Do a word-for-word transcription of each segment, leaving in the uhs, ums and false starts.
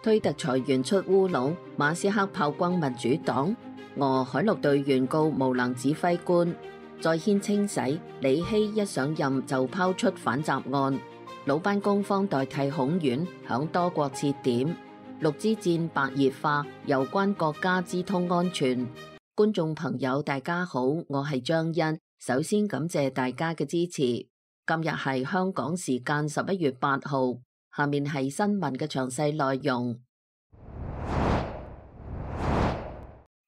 推特裁員出烏龍，馬斯克炮轟民主黨，俄海陸隊原告無能指揮官，再掀清洗，李希一上任就拋出反習案，魯班攻方代替孔院，響多國設點，陸之戰白熱化，攸關國家之通安全。觀眾朋友大家好，我係張欣，首先感謝大家嘅支持。今日係香港時間十一月八號。下面係新聞嘅詳細內容。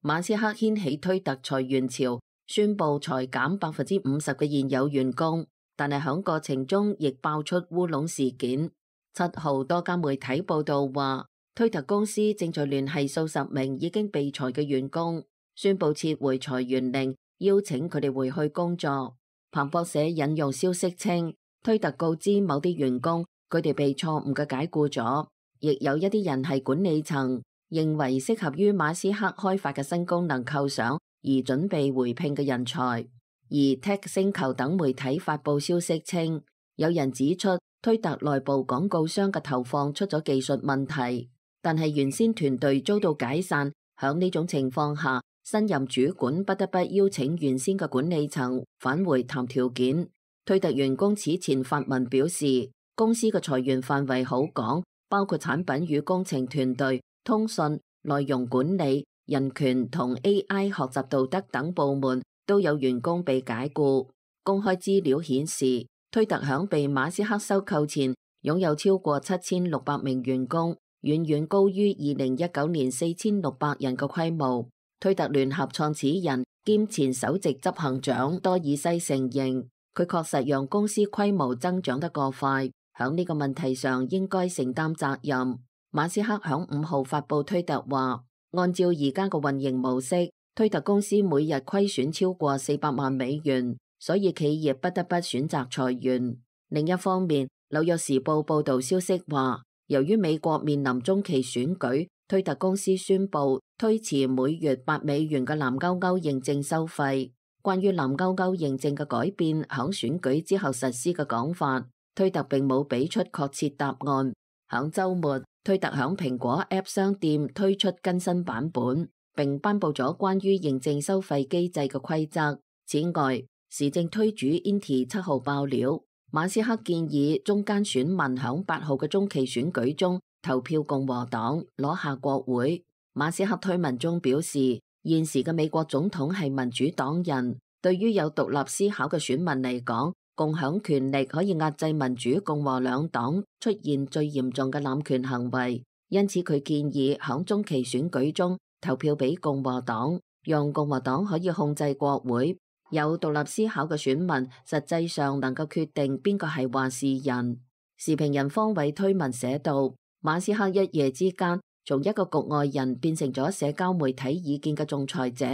馬斯克掀起推特裁員潮，宣布裁減百分之五十嘅現有員工，但係響過程中亦爆出烏龍事件。七號多家媒體報道話，推特公司正在聯繫數十名已經被裁嘅員工，宣布撤回裁員令，邀請佢哋回去工作。彭博社引用消息稱，推特告知某啲員工，佢哋被錯誤嘅解僱咗，亦有一啲人係管理層，認為適合於馬斯克開發嘅新功能構想而準備回聘嘅人才。而 Tech 星球等媒體發佈消息稱，有人指出推特內部廣告商嘅投放出咗技術問題，但係原先團隊遭到解散。響呢種情況下，新任主管不得不邀請原先嘅管理層返回談條件。推特員工此前發文表示，公司嘅裁員範圍好廣，包括產品與工程團隊、通訊、內容管理、人權同 A I 學習道德等部門都有員工被解僱。公開資料顯示，推特響被馬斯克收購前擁有超過七千六百名員工，遠遠高於二零一九年四千六百人嘅規模。推特聯合創始人兼前首席執行長多爾西承認，佢確實讓公司規模增長得過快。響呢個問題上應該承擔責任。馬斯克響五號發佈推特話，按照而家嘅運營模式，推特公司每日虧損超過四百萬美元，所以企業不得不選擇裁員。另一方面，紐約時報報道消息話，由於美國面臨中期選舉，推特公司宣布推遲每月八美元嘅藍勾勾認證收費。關於藍勾勾認證嘅改變響選舉之後實施嘅講法，推特並冇俾出確切答案。響週末，推特響蘋果 App 商店推出更新版本，並頒布咗關於認證收費機制嘅規則。此外，時政推主 Inti 七號爆料，馬斯克建議中間選民響八號嘅中期選舉中投票共和黨，攞下國會。馬斯克推文中表示，現時嘅美國總統係民主黨人，對於有獨立思考嘅選民嚟講，共享權力可以壓制民主共和兩黨出現最嚴重嘅濫權行為，因此佢建議響中期選舉中投票俾共和黨，讓共和黨可以控制國會。有獨立思考嘅選民實際上能夠決定邊個係話事人。時評人方偉推文寫道，馬斯克一夜之間從一個局外人變成咗社交媒體意見嘅仲裁者，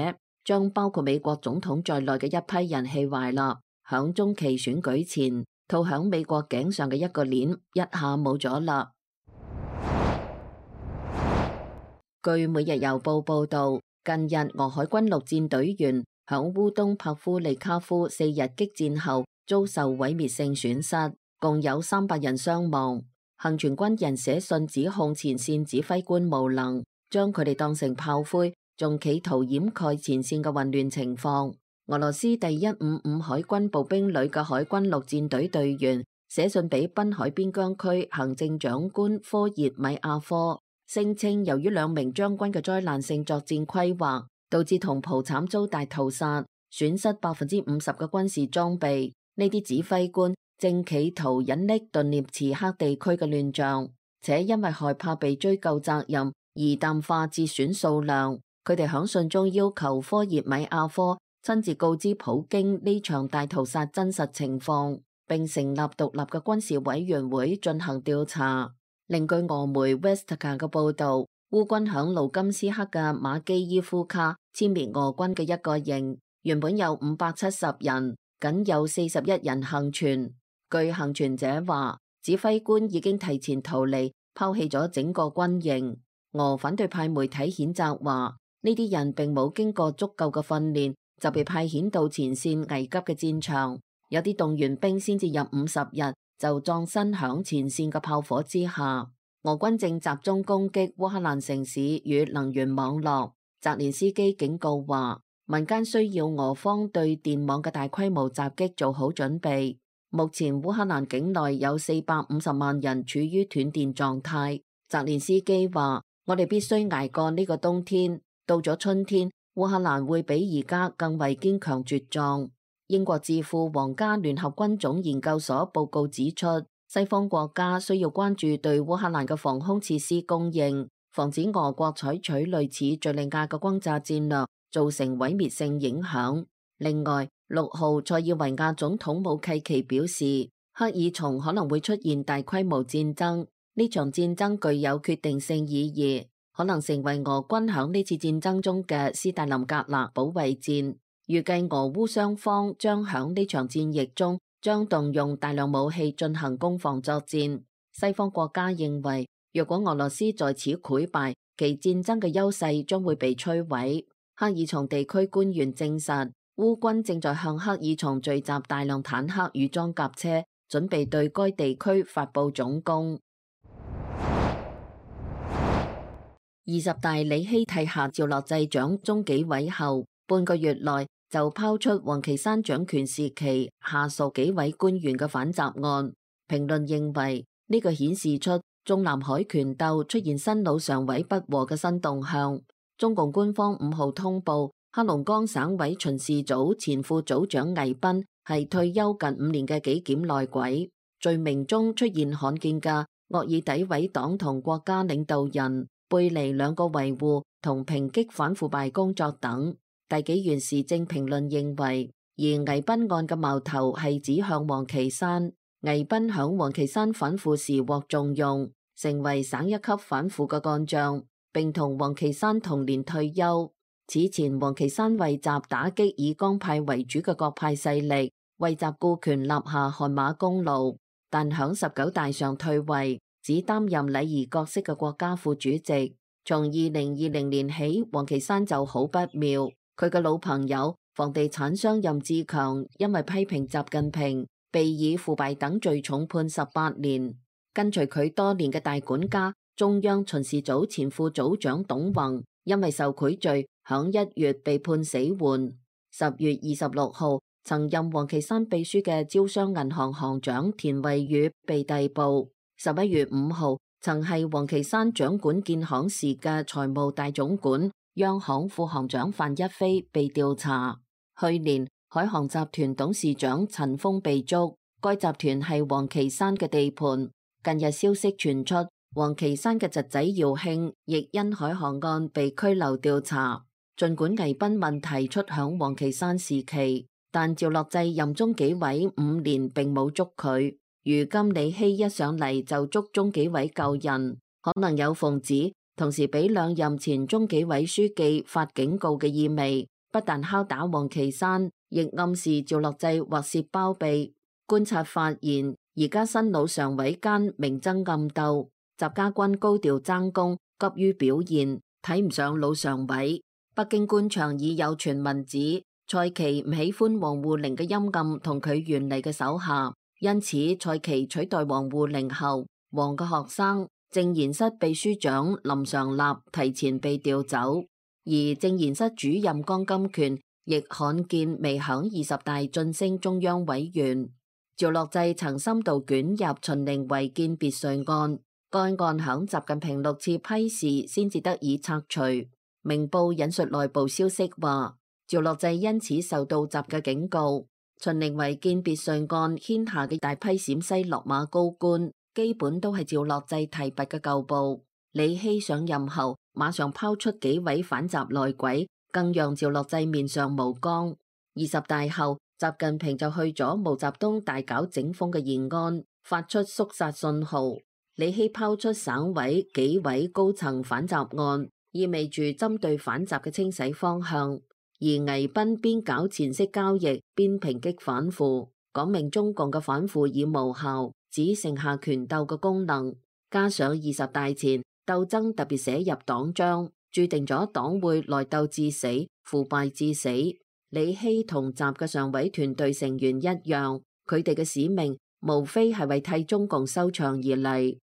將包括美國總統在內嘅一批人氣壞啦。響中期選舉前，套響美國頸上嘅一個鏈一下冇咗啦。據每日郵報報道，近日俄海軍陸戰隊員響烏東帕夫利卡夫四日激戰後遭受毀滅性損失，共有三百人傷亡。幸存軍人寫信指控前線指揮官無能，將佢哋當成炮灰，仲企圖掩蓋前線嘅混亂情況。俄羅斯第一五五海軍步兵旅嘅海軍陸戰隊隊員寫信俾濱海邊疆區行政長官科熱米亞科，聲稱由於兩名將軍嘅災難性作戰規劃，導致同袍慘遭大屠殺，損失百分之五十嘅軍事裝備。呢啲指揮官正企圖隱匿頓涅茨克地區嘅亂象，且因為害怕被追究責任而淡化折損數量。佢哋響信中要求科熱米亞科親自告知普京呢場大屠殺真實情況，並成立獨立嘅軍事委員會進行調查。另據俄媒 Vestka 嘅報道，烏軍響盧甘斯克嘅馬基伊夫卡殲滅俄軍嘅一個營，原本有五百七十人，僅有四十一人幸存。據幸存者話，指揮官已經提前逃離，拋棄咗整個軍營。俄反對派媒體譴責話，呢啲人並冇經過足夠嘅訓練，就被派遣到前線危急嘅戰場，有啲動員兵先至入伍十日就葬身響前線嘅炮火之下。俄軍正集中攻擊烏克蘭城市與能源網絡。澤連斯基警告話，民間需要俄方對電網嘅大規模襲擊做好準備。目前烏克蘭境內有四百五十萬人處於斷電狀態。澤連斯基話，我哋必須捱過呢個冬天，到咗春天，烏克蘭會比而家更為堅強茁壯。英國智庫皇家聯合軍種研究所報告指出，西方國家需要關注對烏克蘭嘅防空設施供應，防止俄國採取類似敘利亞嘅轟炸戰略造成毀滅性影響。另外，六號塞爾維亞總統武契奇表示，赫爾松可能會出現大規模戰爭，呢場戰爭具有決定性意義，可能成為俄軍響呢次戰爭中嘅斯大林格勒保衛戰。預計俄烏雙方將響呢場戰役中將動用大量武器進行攻防作戰。西方國家認為，若果俄羅斯在此潰敗，其戰爭嘅優勢將會被摧毀。赫爾松地區官員證實，烏軍正在向赫爾松聚集大量坦克與裝甲車，準備對該地區發佈總攻。二十大李希替下趙樂際掌中紀委後，半個月內就拋出王岐山掌權時期下屬紀委官員嘅反習案。評論認為，呢、這個顯示出中南海權鬥出現新老常委不和嘅新動向。中共官方五號通報，黑龍江省委巡視組前副組長倪斌係退休近五年嘅紀檢內鬼，罪名中出現罕見嘅惡意詆毀黨同國家領導人、背離兩個維護同抨擊反腐敗工作等。大紀元時政評論認為，而倪斌案嘅矛頭係指向王岐山。倪斌響王岐山反腐時獲重用，成為省一級反腐嘅幹將，並同王岐山同年退休。此前王岐山為習打擊以江派為主嘅各派勢力，為習顧權立下汗馬功勞，但響十九大上退位，只擔任禮儀角色嘅國家副主席。從二零二零年起，王岐山就好不妙。佢嘅老朋友房地產商任志強因為批評習近平，被以腐敗等罪重判十八年。跟隨佢多年嘅大管家中央巡視組前副組長董宏，因為受賄罪，響一月被判死緩。十月二十六號，曾任王岐山秘書嘅招商銀行行長田惠宇被逮捕。十一月五號，曾係王岐山掌管建行時嘅財務大總管、央行副行長范一飛被調查。去年，海航集團董事長陳鋒被捉，該集團係王岐山嘅地盤。近日消息傳出，王岐山嘅侄仔姚慶亦因海航案被拘留調查。儘管倪斌問題出響王岐山時期，但趙樂際任中紀委五年並冇捉佢。如今李希一上嚟就捉中紀委舊人，可能有奉旨，同時俾兩任前中紀委書記發警告嘅意味。不但敲打王岐山，亦暗示趙樂際或涉包庇。觀察發現，而家新老常委間明爭暗鬥，習家軍高調爭功，急於表現，睇唔上老常委。北京官場已有傳聞指蔡奇唔喜歡王滬寧嘅陰暗同佢原嚟嘅手下，因此蔡奇取代王滬寧後，王嘅學生政研室秘書長林常立提前被調走，而政研室主任江金權亦罕見未響二十大晉升中央委員。趙樂際曾深度捲入秦陵違建別墅案，該案響習近平六次批示先至得以拆除。明報引述內部消息話，趙樂際因此受到習嘅警告。秦陵違建別墅案牽下嘅大批陝西落馬高官，基本都係趙樂際提拔嘅舊部。李希上任後，馬上拋出紀委反習內鬼，更讓趙樂際面上無光。二十大後，習近平就去咗毛澤東大搞整風嘅延安，發出肅殺信號。李希拋出省委、紀委高層反習案，意味住針對反習嘅清洗方向。而倪斌邊搞錢色交易，邊抨擊反腐，講明中共嘅反腐已無效，只剩下權鬥嘅功能。加上二十大前鬥爭特別寫入黨章，注定咗黨會內鬥至死，腐敗至死。李希同習嘅常委團隊成員一樣，佢哋嘅使命無非係為替中共收場而嚟。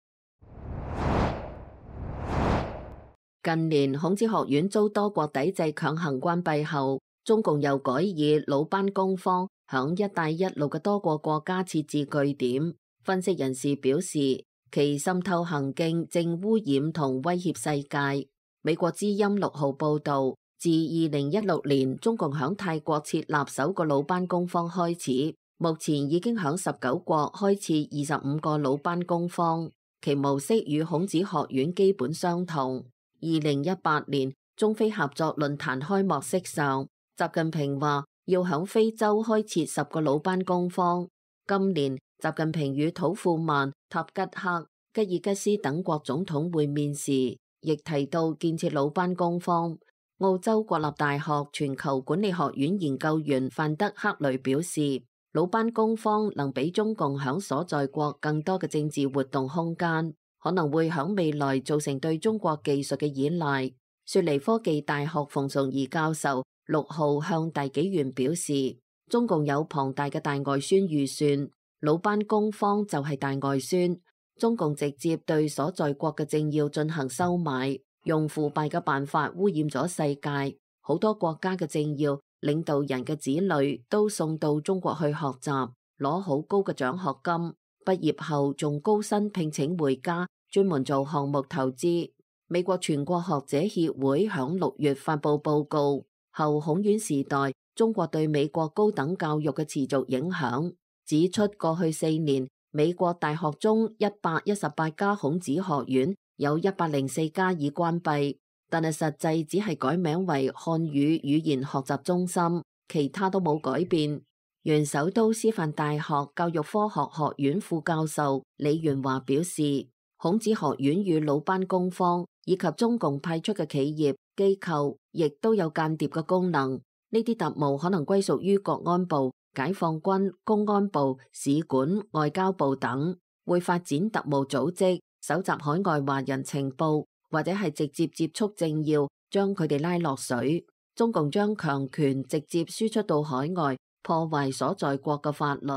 近年孔子學院遭多國抵制強行關閉後，中共又改以魯班工坊響一帶一路嘅多個國家設置據點。分析人士表示，其滲透行徑正污染同威脅世界。美國之音六號報道，自二零一六年中共響泰國設立首個魯班工坊開始，目前已經響十九國開設二十五個魯班工坊，其模式與孔子學院基本相同。二零一八年中非合作論壇開幕式上，習近平話要響非洲開設十個魯班工坊。今年習近平與土庫曼、塔吉克、吉爾吉斯等國總統會面時，亦提到建設魯班工坊。澳洲國立大學全球管理學院研究員范德克雷表示，魯班工坊能俾中共響所在國更多嘅政治活動空間，可能會響未來造成對中國技術嘅依賴。雪梨科技大學馮崇儀教授六號向大紀元表示，中共有龐大嘅大外宣預算，魯班工坊就係大外宣。中共直接對所在國嘅政要進行收買，用腐敗嘅辦法污染咗世界。好多國家嘅政要、領導人嘅子女都送到中國去學習，攞好高嘅獎學金，畢業後仲高薪聘請回家，專門做項目投資。美國全國學者協會響六月發布報告，後孔院時代中國對美國高等教育嘅持續影響，指出過去四年美國大學中一百一十八家孔子學院有一百零四家已關閉，但係實際只係改名為漢語語言學習中心，其他都冇改變。原首都師範大學教育科學學院副教授李元華表示，孔子學院與魯班工坊以及中共派出嘅企業機構，亦都有間諜嘅功能。呢啲特務可能歸屬於國安部、解放軍、公安部、使館、外交部等，會發展特務組織，搜集海外華人情報，或者係直接接觸政要，將佢哋拉落水。中共將強權直接輸出到海外，破壞所在國嘅法律。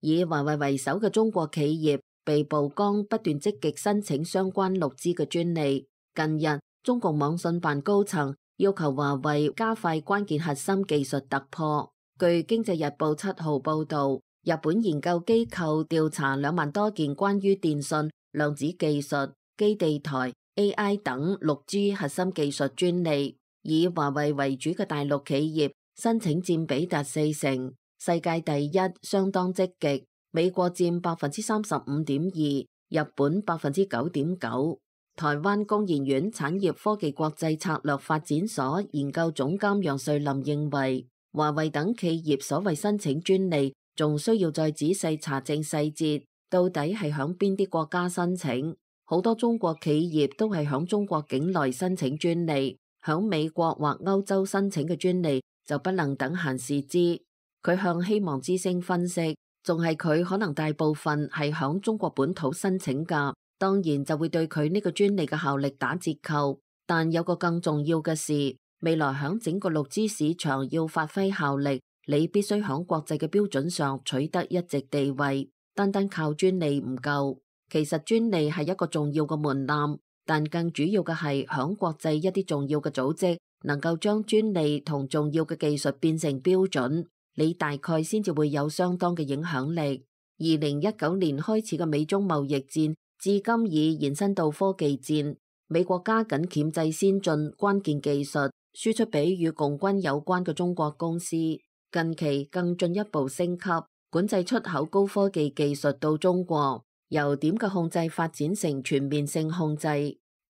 以華為為首嘅中國企業被曝光不斷積極申請相關陸資嘅專利。近日，中共網信辦高層要求華為加快關鍵核心技術突破。據《經濟日報》七號報道，日本研究機構調查兩萬多件關於電信、量子技術、基地台、A I 等陸資核心技術專利，以華為為主嘅大陸企業申請佔比達四成。世界第一相當積極，美國佔百分之三十五點二，日本百分之九點九。台灣工研院產業科技國際策略發展所研究總監楊瑞林認為，華為等企業所謂申請專利，仲需要再仔細查證細節，到底係響邊啲國家申請。好多中國企業都係響中國境內申請專利，響美國或歐洲申請嘅專利就不能等閒視之。佢向希望之聲分析，仲係佢可能大部分係響中國本土申請㗎，當然就會對佢呢個專利嘅效力打折扣。但有個更重要嘅事，未來響整個陸資市場要發揮效力，你必須響國際嘅標準上取得一席地位，單單靠專利唔夠。其實專利係一個重要嘅門檻，但更主要嘅係響國際一啲重要嘅組織能夠將專利同重要嘅技術變成標準，你大概先至會有相當嘅影響力。二零一九年開始嘅美中貿易戰，至今已延伸到科技戰。美國加緊鉗制先進關鍵技術，輸出俾與共軍有關嘅中國公司。近期更進一步升級，管制出口高科技技術到中國，由點嘅控制發展成全面性控制。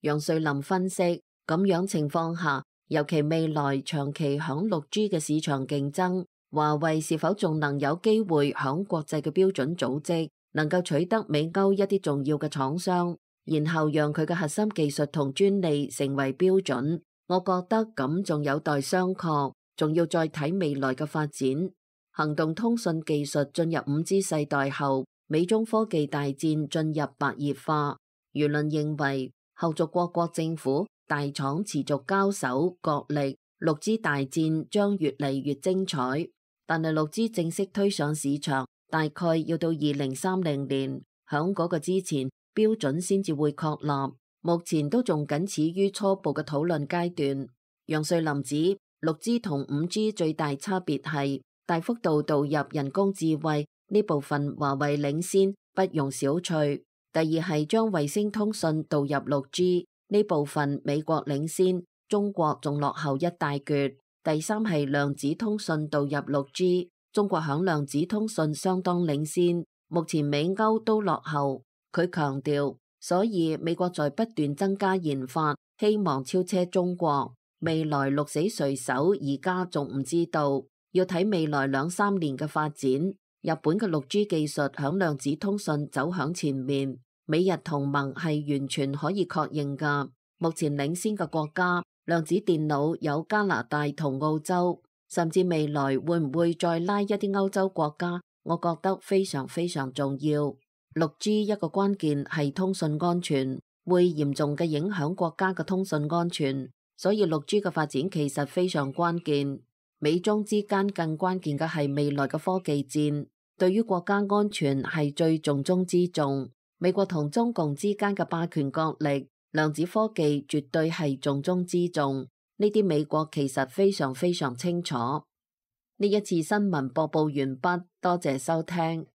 楊瑞林分析，咁樣情況下，尤其未來長期響六 G 嘅市場競爭，華為是否仲能有機會響國際嘅標準組織能夠取得美歐一啲重要嘅廠商，然後讓佢嘅核心技術同專利成為標準？我覺得咁仲有待商榷，仲要再睇未來嘅發展。行動通訊技術進入五 G 世代後，美中科技大戰進入白熱化。輿論認為，後續各國政府大廠持續交手角力，六 G 大戰將越嚟越精彩。但係六 G 正式推上市場，大概要到二零三零年，響嗰個之前，標準先至會確立，目前都仲僅始於初步嘅討論階段。楊瑞林指，六 G 同五 G 最大差別係大幅度導入人工智慧呢部分，華為領先，不容小覷。第二係將衛星通訊導入六 G 呢部分，美國領先，中國仲落後一大橛。第三係量子通訊導入六 G， 中國響量子通訊相當領先，目前美歐都落後。佢強調，所以美國在不斷增加研發，希望超車中國。未來鹿死誰手，而家仲唔知道，要睇未來兩三年嘅發展。日本嘅六 G 技術響量子通訊走響前面，美日同盟係完全可以確認㗎。目前領先嘅國家，量子電腦有加拿大同澳洲，甚至未來會唔會再拉一啲歐洲國家，我覺得非常非常重要。六 G 一個關鍵係通訊安全，會嚴重嘅影響國家嘅通訊安全。所以六 G 嘅發展其實非常關鍵，美中之間更關鍵嘅係未來嘅科技戰，對於國家安全係最重中之重。美國同中共之間嘅霸權角力，量子科技絕對係重中之重。呢啲美國其實非常非常清楚。呢一次新聞播報完畢，多謝收聽。